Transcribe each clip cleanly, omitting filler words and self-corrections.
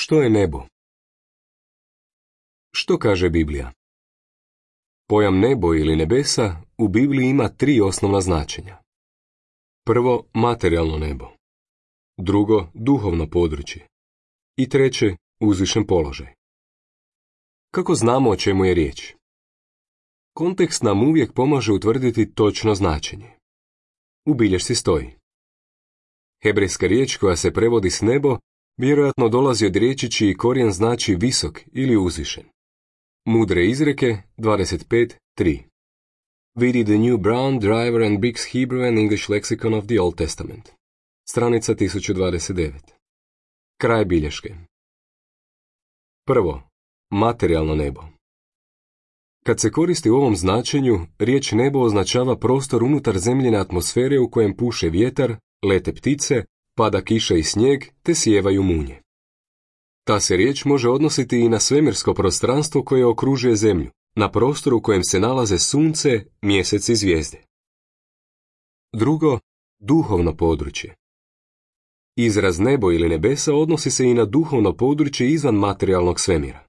Što je nebo? Što kaže Biblija? Pojam nebo ili nebesa u Bibliji ima 3 osnovna značenja. Prvo, materijalno nebo. Drugo, duhovno područje. I treće, uzvišen položaj. Kako znamo o čemu je riječ? Kontekst nam uvijek pomaže utvrditi točno značenje. U bilješci stoji: hebrejska riječ koja se prevodi s nebo vjerojatno dolazi od riječi čiji korijen znači visok ili uzvišen. Mudre izreke 25.3. Vidi The New Brown, Driver and Briggs Hebrew and English Lexicon of the Old Testament. Stranica 1029. Kraj bilješke. Prvo, materijalno nebo. Kad se koristi u ovom značenju, riječ nebo označava prostor unutar zemljine atmosfere u kojem puše vjetar, lete ptice, pada kiša i snijeg te sijevaju munje. Ta se riječ može odnositi i na svemirsko prostranstvo koje okružuje zemlju, na prostoru u kojem se nalaze sunce, mjesec i zvijezde. Drugo, duhovno područje. Izraz nebo ili nebesa odnosi se i na duhovno područje izvan materijalnog svemira.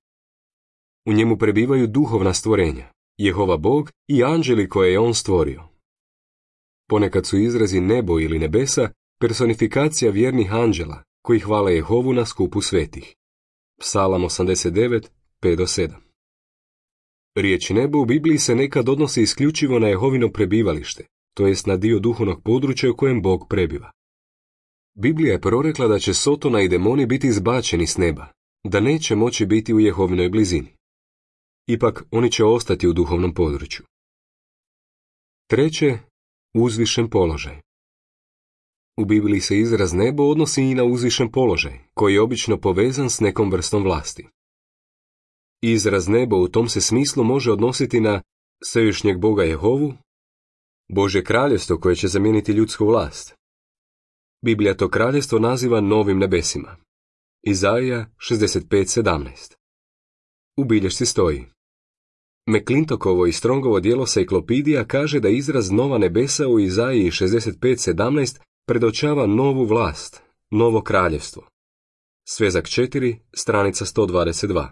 U njemu prebivaju duhovna stvorenja, Jehova Bog i anđeli koje je on stvorio. Ponekad su izrazi nebo ili nebesa personifikacija vjernih anđela koji hvale Jehovu na skupu svetih. Psalam 89, 5-7. Riječ nebo u Bibliji se nekad odnosi isključivo na Jehovino prebivalište, to jest na dio duhovnog područja u kojem Bog prebiva. Biblija je prorekla da će Sotona i demoni biti izbačeni s neba, da neće moći biti u Jehovinoj blizini. Ipak, oni će ostati u duhovnom području. Treće, uzvišen položaj. U Bibliji se izraz nebo odnosi i na uzvišen položaj, koji je obično povezan s nekom vrstom vlasti. Izraz nebo u tom se smislu može odnositi na svevišnjeg Boga Jehovu, Božje kraljevstvo koje će zamijeniti ljudsku vlast. Biblija to kraljevstvo naziva novim nebesima. Izaija 65.17. U bilješci stoji: McClintokovo i Strongovo djelo Sejklopidija kaže da izraz nova nebesa u Izaiji 65.17 predočava novu vlast, novo kraljevstvo. Svezak 4, stranica 122.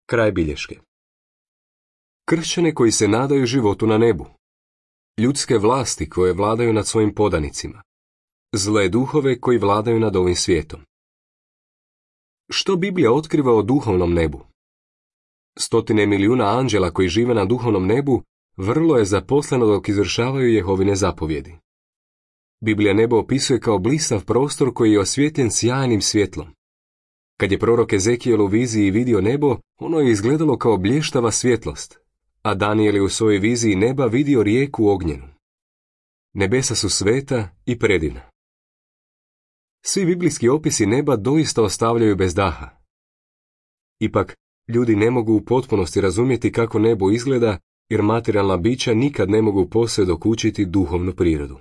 Kraj bilješke. Kršćane koji se nadaju životu na nebu. Ljudske vlasti koje vladaju nad svojim podanicima. Zle duhove koji vladaju nad ovim svijetom. Što Biblija otkriva o duhovnom nebu? Stotine milijuna anđela koji žive na duhovnom nebu vrlo je zaposleno dok izvršavaju Jehovine zapovjedi. Biblija nebo opisuje kao blistav prostor koji je osvjetljen sjajnim svjetlom. Kad je prorok Ezekijel u viziji vidio nebo, ono je izgledalo kao blještava svjetlost, a Danijel je u svojoj viziji neba vidio rijeku ognjenu. Nebesa su sveta i predivna. Svi biblijski opisi neba doista ostavljaju bez daha. Ipak, ljudi ne mogu u potpunosti razumjeti kako nebo izgleda, jer materijalna bića nikad ne mogu posve dokučiti duhovnu prirodu.